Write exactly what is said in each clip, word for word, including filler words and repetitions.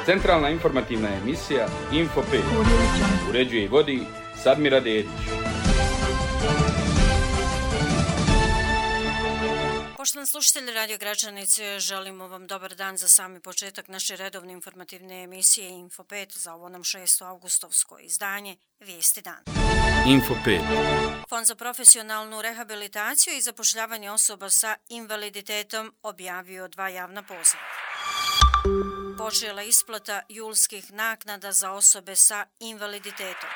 Centralna informativna emisija Info pet. Uređuje i vodi Sadmira Dedić. Poštovani slušatelji Radio Gračanice, želimo vam dobar dan za sami početak naše redovne informativne emisije Info pet za ovo nam šesto avgustovsko izdanje Vijesti dan. Info pet. Fond za profesionalnu rehabilitaciju i zapošljavanje osoba sa invaliditetom objavio dva javna poziva. Počela isplata julskih naknada za osobe sa invaliditetom.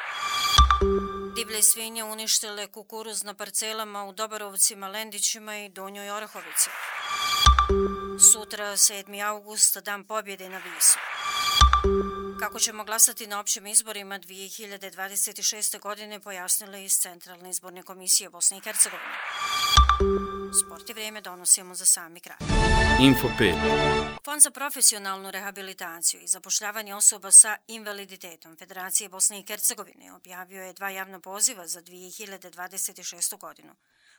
Divlje svinje uništile kukuruz na parcelama u Dobarovcima, Lendićima i Donjoj Orahovici. Sutra, sedmi august, dan pobjede na Visu. Kako ćemo glasati na općim izborima dvije hiljade dvadeset šeste. godine pojasnile iz Centralne izborne komisije Bosne i Hercegovine. Sport i vrijeme donosimo za sami kraj. Info pet. Fond za profesionalnu rehabilitaciju i zapošljavanje osoba sa invaliditetom Federacije Bosne i Hercegovine objavio je dva javna poziva za dvije hiljade dvadeset šestu. godinu,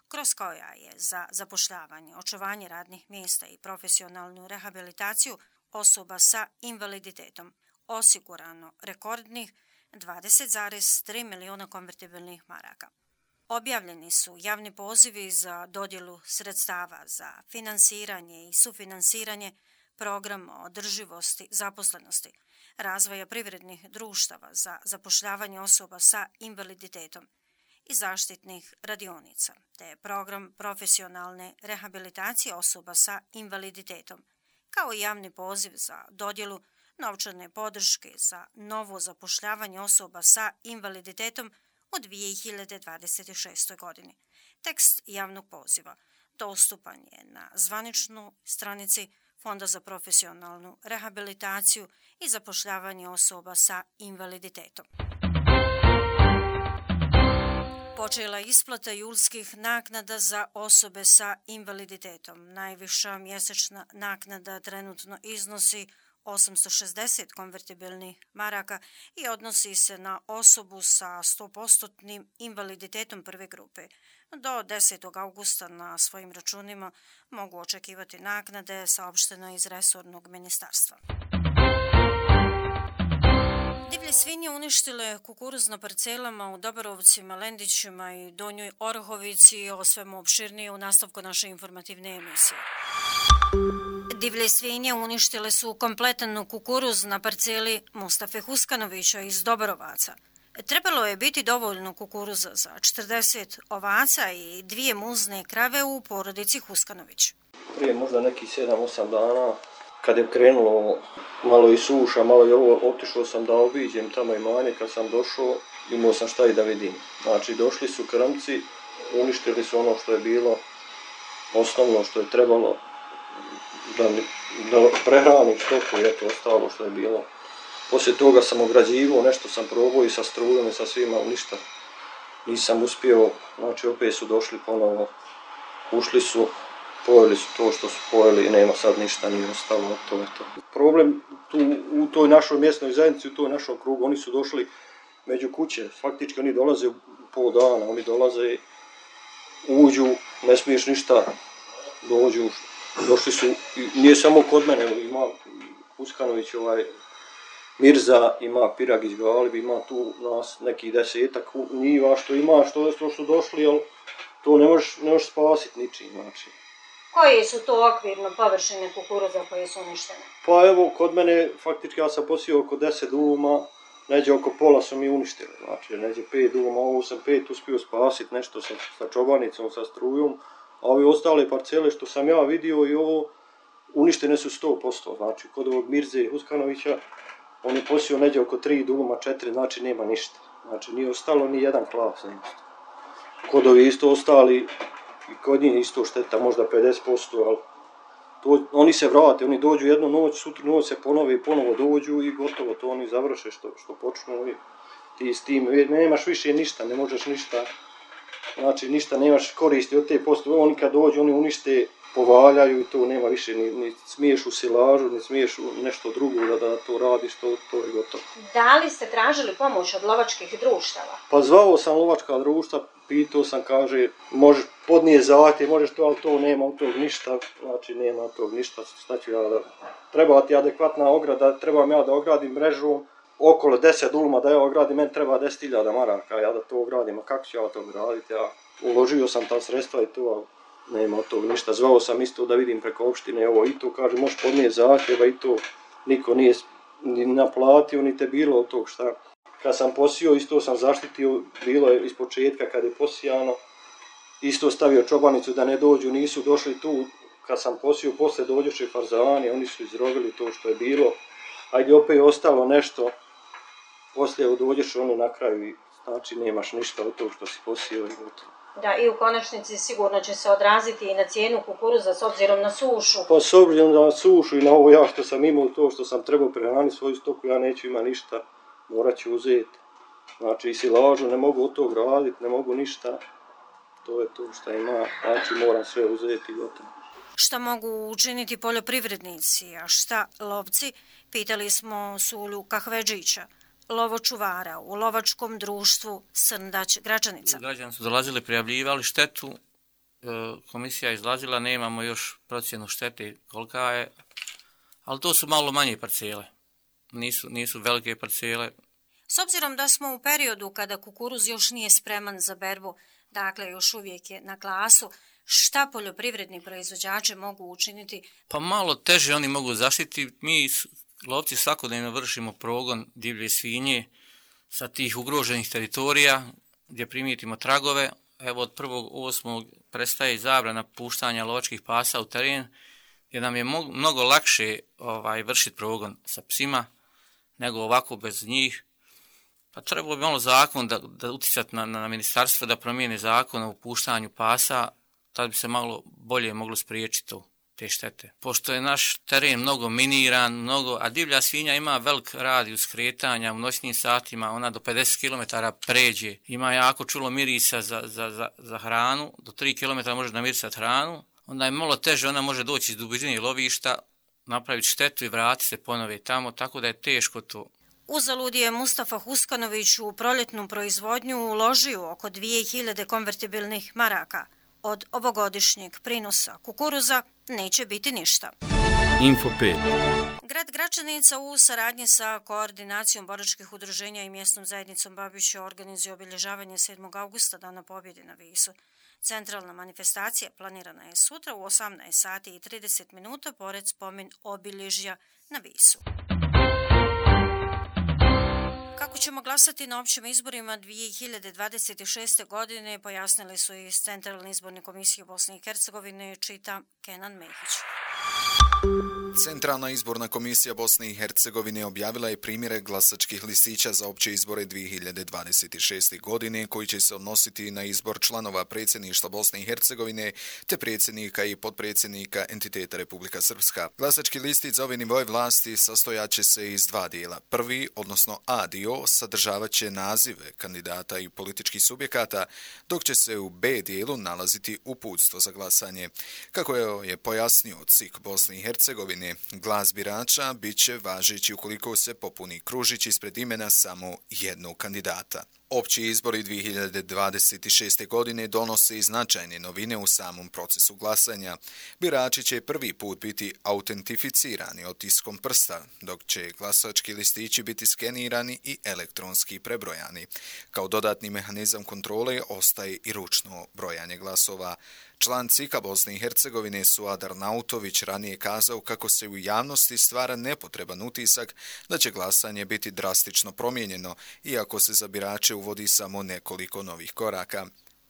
kroz koja je za zapošljavanje, očuvanje radnih mjesta i profesionalnu rehabilitaciju osoba sa invaliditetom osigurano rekordnih dvadeset zarez tri milijuna konvertibilnih maraka. Objavljeni su javni pozivi za dodjelu sredstava za finansiranje i sufinansiranje programa održivosti zaposlenosti, razvoja privrednih društava za zapošljavanje osoba sa invaliditetom i zaštitnih radionica, te program profesionalne rehabilitacije osoba sa invaliditetom, kao i javni poziv za dodjelu novčane podrške za novo zapošljavanje osoba sa invaliditetom u dvije hiljade dvadeset šestoj. godini. Tekst javnog poziva dostupan je na zvaničnoj stranici Fonda za profesionalnu rehabilitaciju i zapošljavanje osoba sa invaliditetom. Počela je isplata julskih naknada za osobe sa invaliditetom. Najviša mjesečna naknada trenutno iznosi osamsto šezdeset konvertibilnih maraka i odnosi se na osobu sa sto posto invaliditetom prve grupe. Do desetog augusta na svojim računima mogu očekivati naknade, saopšteno iz resornog ministarstva. Divlje svinje uništile kukuruz na parcelama u Dobarovcima, Lendićima i Donjoj Orahovici. O svemu opširnije u nastavku naše informativne emisije. Divlje svinje uništile su kompletan kukuruz na parceli Mustafe Huskanovića iz Dobarovaca. Trebalo je biti dovoljno kukuruza za četrdeset ovaca i dvije muzne krave u porodici Huskanović. Prije možda neki sedam osam dana, kad je krenulo malo i suša, malo i ovo, otišao sam da obiđem tamo imanje. Kad sam došao, imao sam šta i da vidim. Znači, došli su krmci, uništili su ono što je bilo osnovno što je trebalo da, da prehranim stoku i eto ostalo što je bilo. Poslije toga sam ograđivao, nešto sam probao i sa strujom i sa svima, ništa nisam uspio. Znači, opet su došli ponovo, ušli su, pojeli su to što su pojeli i nema sad ništa, nije ostalo, to je to. Problem tu u toj našoj mjesnoj zajednici, u toj našom krugu, oni su došli među kuće, faktički oni dolaze u pol dana, oni dolaze, uđu, ne smiješ ništa, dođu, došli su, nije samo kod mene, ima Huskanović, ovaj, Mirza, ima Piragić Galib, ima tu nas nekih desetak njiva što ima, što, što su došli, ali to ne možeš, ne možeš spasiti ničim, znači. Koje su to okvirno površine kukuruza koje su uništene? Pa evo, kod mene, faktički ja sam posio oko deset duluma, neđe oko pola su mi uništili, znači neđe pet duluma, ovo sam pet uspio spasiti, nešto sa, sa čobanicom, sa strujom, a ove ostale parcele što sam ja vidio i ovo, uništene su sto posto, znači kod ovog Mirze Huskanovića, on je posio neđe oko tri duluma, četiri, znači nema ništa, znači nije ostalo ni jedan klas, nije ostalo. Kod ovi isto ostali, i kod njih isto šteta, možda pedeset posto, ali to, oni se vrate, oni dođu jednu noć, sutru noć se ponove i ponovo dođu i gotovo, to oni završe što, što počnu i ti s tim, nemaš više ništa, ne možeš ništa, znači ništa nemaš koristi od te postoje, oni kad dođu, oni unište, povaljaju i to nema više, ni, ni smiješ u silažu, ni smiješ u nešto drugo da, da to radiš, to, to je gotovo. Da li ste tražili pomoć od lovačkih društava? Pa zvao sam lovačka društva, pitao sam, kaže, možeš podnije zahtjev, možeš to, ali to nema od tog ništa, znači nema od tog ništa, šta ću ja da... Treba ti adekvatna ograda, trebam ja da ogradim mrežu, okolo deset duluma da ja ogradim, meni treba deset hiljada maraka, ja da to ogradim, a kako ću ja to ograditi, ja uložio sam ta sredstva i to, nema od tog ništa. Zvao sam isto da vidim preko opštine, ovo i to, kaže, možeš podnije zahtjeva i to, niko nije ni naplatio, ni te bilo od tog šta. Kad sam posio, isto sam zaštitio, bilo je iz početka kad je posijano, isto stavio čobanicu da ne dođu, nisu došli tu, kad sam posio, posle dođoše farzani, oni su izrovili to što je bilo, ajde opet je ostalo nešto, poslije dođeš oni na kraju i znači nemaš ništa od tog što si posio i gotovo. Da, i u konačnici sigurno će se odraziti i na cijenu kukuruza s obzirom na sušu. Pa s obzirom na sušu i na ovo ja što sam imao, to što sam trebao prehraniti svoju stoku, ja neću ima ništa, morat ću uzeti. Znači i silažu ne mogu od tog raditi, ne mogu ništa, to je to što ima, znači moram sve uzeti i gotovo. Šta mogu učiniti poljoprivrednici, a šta lovci? Pitali smo Sulju Kahvedžića, lovočuvara u lovačkom društvu Srndać Gračanica. Građani su dolazili, prijavljivali štetu, komisija je izlazila, nemamo još procjenu štete kolika je, ali to su malo manje parcele, nisu, nisu velike parcele. S obzirom da smo u periodu kada kukuruz još nije spreman za berbu, dakle još uvijek je na klasu, šta poljoprivredni proizvođači mogu učiniti? Pa malo teže oni mogu zaštiti. Mi lovci svakodnevno vršimo progon divlje svinje sa tih ugroženih teritorija gdje primijetimo tragove. Evo od prvog osmog prestaje zabrana puštanja lovačkih pasa u teren, gdje nam je mnogo lakše ovaj, vršiti progon sa psima nego ovako bez njih. Pa trebalo bi malo zakon da, da uticati na, na ministarstvo da promijene zakon o puštanju pasa, tad bi se malo bolje moglo spriječiti to, te štete. Pošto je naš teren mnogo miniran, mnogo, a divlja svinja ima velik radijus kretanja u noćnim satima, ona do pedeset kilometara pređe, ima jako čulo mirisa za, za, za, za hranu, do tri kilometra može namirisati hranu, onda je malo teže, ona može doći iz dubine lovišta, napraviti štetu i vratiti se ponovo tamo, tako da je teško to. Uzalud je Mustafa Huskanović u proljetnu proizvodnju uložio oko dvije hiljade konvertibilnih maraka. Od ovogodišnjeg prinosa kukuruza neće biti ništa. Info pet. Grad Gračanica u saradnji sa koordinacijom boračkih udruženja i mjesnom zajednicom Babića organizuje obilježavanje sedmog augusta Dana pobjede na Visu. Centralna manifestacija planirana je sutra u osamnaest sati i trideset minuta pored spomen obilježja na Visu. Kako ćemo glasati na općim izborima dvije hiljade dvadeset šeste. godine, pojasnili su iz Centralne izborne komisije Bosne i Hercegovine, čita Kenan Mehić. Centralna izborna komisija Bosne i Hercegovine objavila je primjere glasačkih listića za opće izbore dvije hiljade dvadeset šeste. godine koji će se odnositi na izbor članova predsjedništva Bosne i Hercegovine te predsjednika i potpredsjednika entiteta Republika Srpska. Glasački listić za ove nivoje vlasti sastojat će se iz dva dijela. Prvi, odnosno A dio, sadržavat će nazive kandidata i političkih subjekata, dok će se u B dijelu nalaziti uputstvo za glasanje. Kako je pojasnio C I K Bosne i Hercegovine, glas birača bit će važeći ukoliko se popuni kružić ispred imena samo jednog kandidata. Opći izbori dvije hiljade dvadeset šeste. godine donose i značajne novine u samom procesu glasanja. Birači će prvi put biti autentificirani otiskom prsta, dok će glasački listići biti skenirani i elektronski prebrojani. Kao dodatni mehanizam kontrole ostaje i ručno brojanje glasova. Član C I K-a Bosne i Hercegovine Suad Arnautović ranije kazao kako se u javnosti stvara nepotreban utisak da će glasanje biti drastično promijenjeno, iako se za birače uvodi samo nekoliko novih koraka.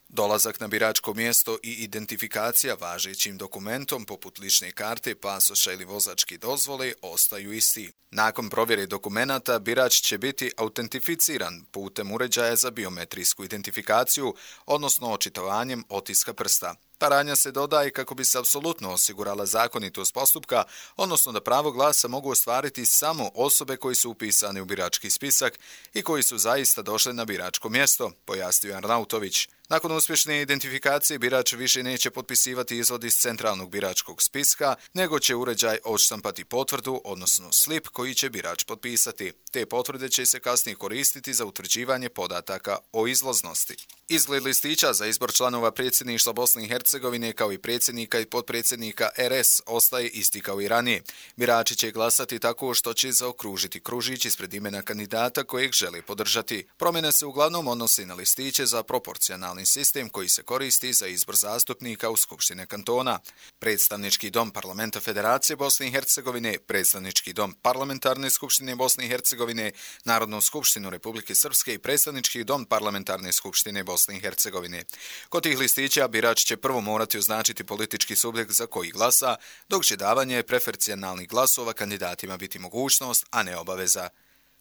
Dolazak na biračko mjesto i identifikacija važećim dokumentom poput lične karte, pasoša ili vozačke dozvole ostaju isti. Nakon provjere dokumenata, birač će biti autentificiran putem uređaja za biometrijsku identifikaciju, odnosno očitovanjem otiska prsta. Ta radnja se dodaje kako bi se apsolutno osigurala zakonitost postupka, odnosno da pravo glasa mogu ostvariti samo osobe koji su upisane u birački spisak i koji su zaista došli na biračko mjesto, pojasnio Arnautović. Nakon uspješne identifikacije birač više neće potpisivati izvod iz centralnog biračkog spiska, nego će uređaj odštampati potvrdu, odnosno slip koji će birač potpisati. Te potvrde će se kasnije koristiti za utvrđivanje podataka o izlaznosti. Izgled listića za izbor članova predsjedništva Bosne i Hercegovine kao i predsjednika i potpredsjednika R S ostaje isti kao i ranije. Birači će glasati tako što će zaokružiti kružić ispred imena kandidata kojeg žele podržati. Promjene se uglavnom odnosi na listiće za proporcionalni sistem koji se koristi za izbor zastupnika u Skupštine kantona. Predstavnički dom Parlamenta Federacije Bosne i Hercegovine, Predstavnički dom Parlamentarne skupštine Bosne i Hercegovine, Narodnu skupštinu Republike Srpske i Predstavnički dom Parlamentarne skupštine Bosne i Hercegovine. Kod tih listića birač će prvo morati označiti politički subjekt za koji glasa, dok će davanje preferencijalnih glasova kandidatima biti mogućnost, a ne obaveza.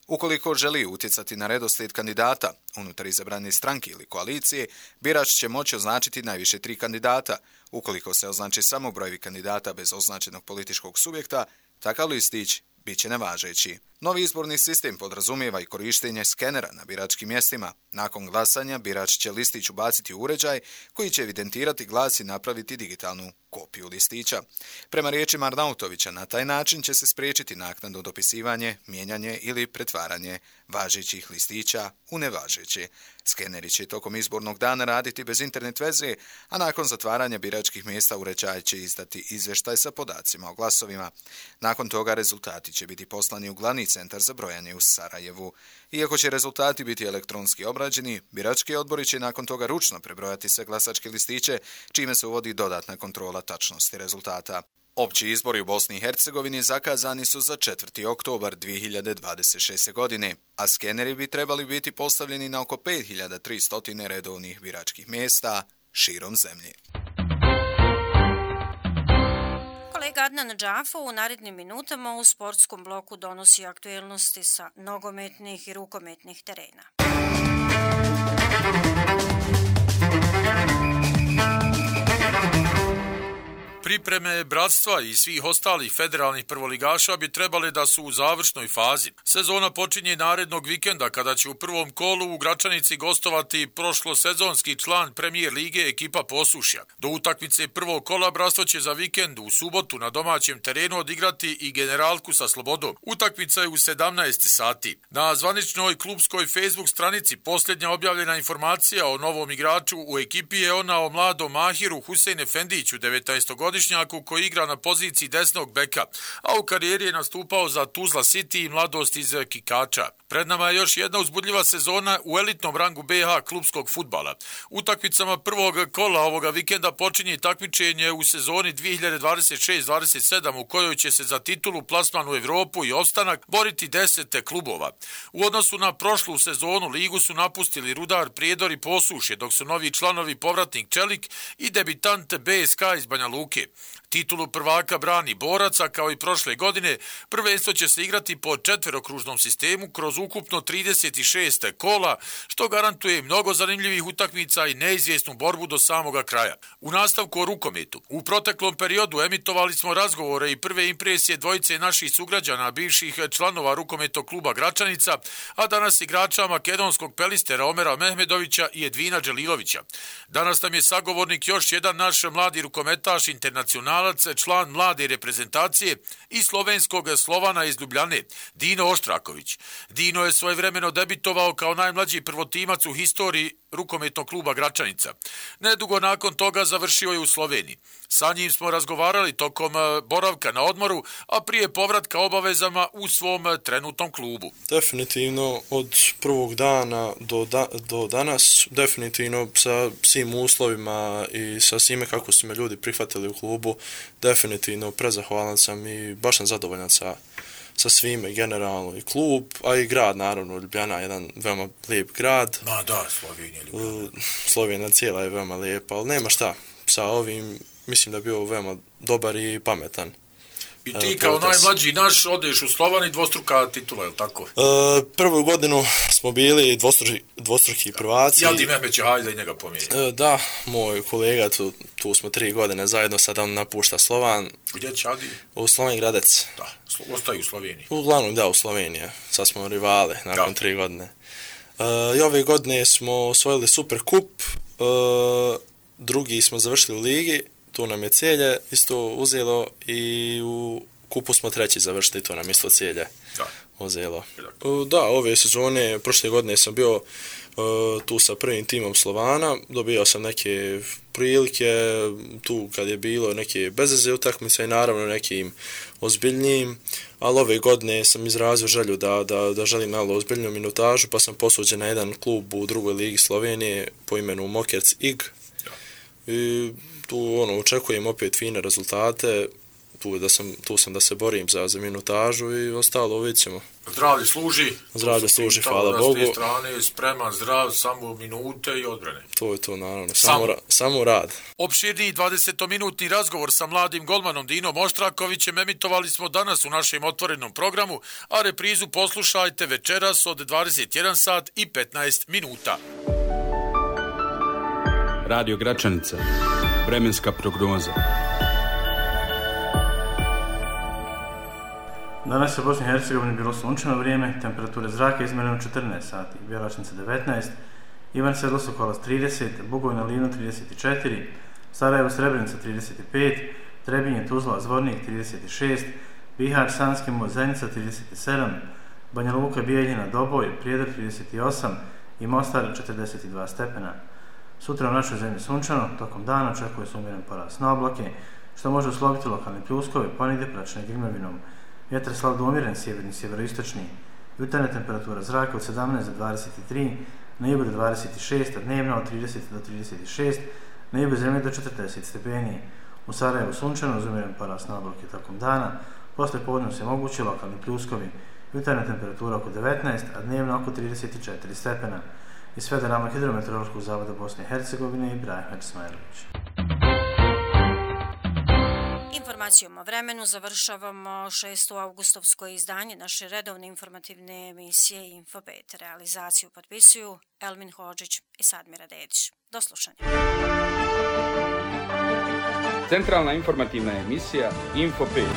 Ukoliko želi utjecati na redoslijed kandidata unutar izabrane stranke ili koalicije, birač će moći označiti najviše tri kandidata. Ukoliko se označi samo brojevi kandidata bez označenog političkog subjekta, takav listić bit će nevažeći. Novi izborni sistem podrazumijeva i korištenje skenera na biračkim mjestima. Nakon glasanja birač će listić ubaciti u uređaj koji će evidentirati glas i napraviti digitalnu kopiju listića. Prema riječima Arnautovića, na taj način će se spriječiti naknadno dopisivanje, mijenjanje ili pretvaranje važećih listića u nevažeće. Skeneri će tokom izbornog dana raditi bez internet veze, a nakon zatvaranja biračkih mjesta uređaj će izdati izvještaj sa podacima o glasovima. Nakon toga rezultati će biti poslani u glavni centar za brojanje u Sarajevu. Iako će rezultati biti elektronski obrađeni, birački odbori će nakon toga ručno prebrojati sve glasačke listiće, čime se uvodi dodatna kontrola tačnosti rezultata. Opći izbori u Bosni i Hercegovini zakazani su za četvrti oktobar dvije hiljade dvadeset šeste. godine, a skeneri bi trebali biti postavljeni na oko pet hiljada tristo redovnih biračkih mjesta širom zemlje. Kolega Adnan Džafo u narednim minutama u sportskom bloku donosi aktuelnosti sa nogometnih i rukometnih terena. Pripreme bratstva i svih ostalih federalnih prvoligaša bi trebali da su u završnoj fazi. Sezona počinje narednog vikenda kada će u prvom kolu u Gračanici gostovati prošlosezonski član Premijer lige ekipa Posušja. Do utakmice prvog kola bratstvo će za vikend u subotu na domaćem terenu odigrati i Generalku sa Slobodom. Utakmica je u sedamnaest sati. Na zvaničnoj klubskoj Facebook stranici posljednja objavljena informacija o novom igraču u ekipi je ona o mladom Mahiru Husein Efendiću, devetnaestogodišnjaku koji igra na poziciji desnog beka, a u karijeri je nastupao za Tuzla City i Mladost iz Kikača. Pred nama je još jedna uzbudljiva sezona u elitnom rangu B H klubskog fudbala. Utakmicama prvog kola ovoga vikenda počinje takmičenje u sezoni dvije hiljade dvadeset šest dvadeset sedam u kojoj će se za titulu, plasman u Evropu i opstanak boriti deset klubova. U odnosu na prošlu sezonu ligu su napustili Rudar, Prijedor i Posušje, dok su novi članovi povratnik Čelik i debitant B S K iz Banja Luke. Titulu prvaka brani Boraca, kao i prošle godine. Prvenstvo će se igrati po četverokružnom sistemu kroz ukupno trideset šest kola, što garantuje mnogo zanimljivih utakmica i neizvjesnu borbu do samoga kraja. U nastavku o rukometu. U proteklom periodu emitovali smo razgovore i prve impresije dvojice naših sugrađana, bivših članova rukometnog kluba Gračanica, a danas igrača makedonskog pelistera Omera Mehmedovića i Edvina Đelilovića. Danas nam je sagovornik još jedan naš mladi rukometaš, internacionalac, član mlade reprezentacije i slovenskog Slovana iz Ljubljane, Dino Oštraković. Dino je svojevremeno debitovao kao najmlađi prvotimac u historiji rukometnog kluba Gračanica. Nedugo nakon toga završio je u Sloveniji. Sa njim smo razgovarali tokom boravka na odmoru, a prije povratka obavezama u svom trenutnom klubu. Definitivno od prvog dana do, da, do danas, definitivno sa svim uslovima i sa svime kako su me ljudi prihvatili u klubu, definitivno prezahvalan sam i baš sam zadovoljan sa sa svime, generalno i klub, a i grad, naravno, Ljubljana, jedan veoma lijep grad. Ma da, Slovenija, Ljubljana. Slovenija cijela je veoma lijepa, ali nema šta, sa ovim mislim da je bio veoma dobar i pametan. I ti kao najmlađi naš odeš u Slovan i dvostruka titula, je li tako? E, prvu godinu smo bili dvostruki, dvostruki prvaci. Ja ti Mehmeće, hajde i njega pomijeni. E, da, moj kolega, tu, tu smo tri godine zajedno, sad on napušta Slovan. Gdje će Adi? U Sloven Gradec. Da, ostaju u Sloveniji. Uglavnom da, u Sloveniji. Sad smo rivale nakon da. tri godine. E, I ove godine smo osvojili Super kup drugi smo završili u ligi, tu nam je Celje isto uzelo i u kupu smo treći završili, to nam isto Celje da. uzelo. Da, ove sezone, prošle godine sam bio uh, tu sa prvim timom Slovana, dobio sam neke prilike, tu kad je bilo neke bezveze utakmice i naravno nekim ozbiljnijim, ali ove godine sam izrazio želju da, da, da želim malo ozbiljniju minutažu, pa sam posuđen na jedan klub u drugoj ligi Slovenije po imenu Mokerc I G. I tu ono, očekujem opet fine rezultate, tu, da sam, tu sam da se borim za, za minutažu i ostalo vidjet ćemo. Zdravlje služi. Zdravlje služi, hvala Bogu. S strane, spreman, zdrav, samo minute i odbrane. To je to, naravno. Samo, samo. Ra, samo rad. Opširniji dvadesetominutni razgovor sa mladim golmanom Dinom Oštrakovićem emitovali smo danas u našem otvorenom programu, a reprizu poslušajte večeras od dvadeset jedan sat i petnaest minuta. Radio Gračanica. Vremenska prognoza. Danas je u Bosni i Hercegovini bilo sunčano vrijeme, temperature zraka izmjereno četrnaest sati, Bjelačnica devetnaest, Ivan Sedlo Sokolac trideset, Bugojna Livno trideset četiri, Sarajevo Srebrenica trideset pet, Trebinje Tuzla Zvornik trideset šest, Bihar Sanski Most Zenica trideset sedam, Banja Luka Bijeljina Doboj Prijedor trideset osam i Mostar četrdeset dva stepena. Sutra u našoj zemlji sunčano, tokom dana očekuje se umjeren porast na oblake, što može usloviti lokalne pljuskove, ponegdje praćene grmljavinom. Vjetar slab do umjeren, sjeverni, sjeveroistočni. Jutarnja temperatura zraka od sedamnaest do dvadeset tri, na jugu do dvadeset šest, a dnevna od trideset do trideset šest, na jugu zemlje do četrdeset stepeni. U Sarajevu sunčano, uz umjeren porast na oblake tokom dana, posle podne se mogući lokalni pljuskovi. Jutarnja temperatura oko devetnaest, a dnevna oko trideset četiri stepena. Iz Federalnog hidrometeorološkog zavoda Bosne i Hercegovine Ibrahim Ismailović. Informacijom o vremenu završavamo šesto avgustovsko izdanje naše redovne informativne emisije Infopet. Realizaciju potpisuju Elmin Hodžić i Sadmira Dedić. Do slušanja. Centralna informativna emisija Infopet.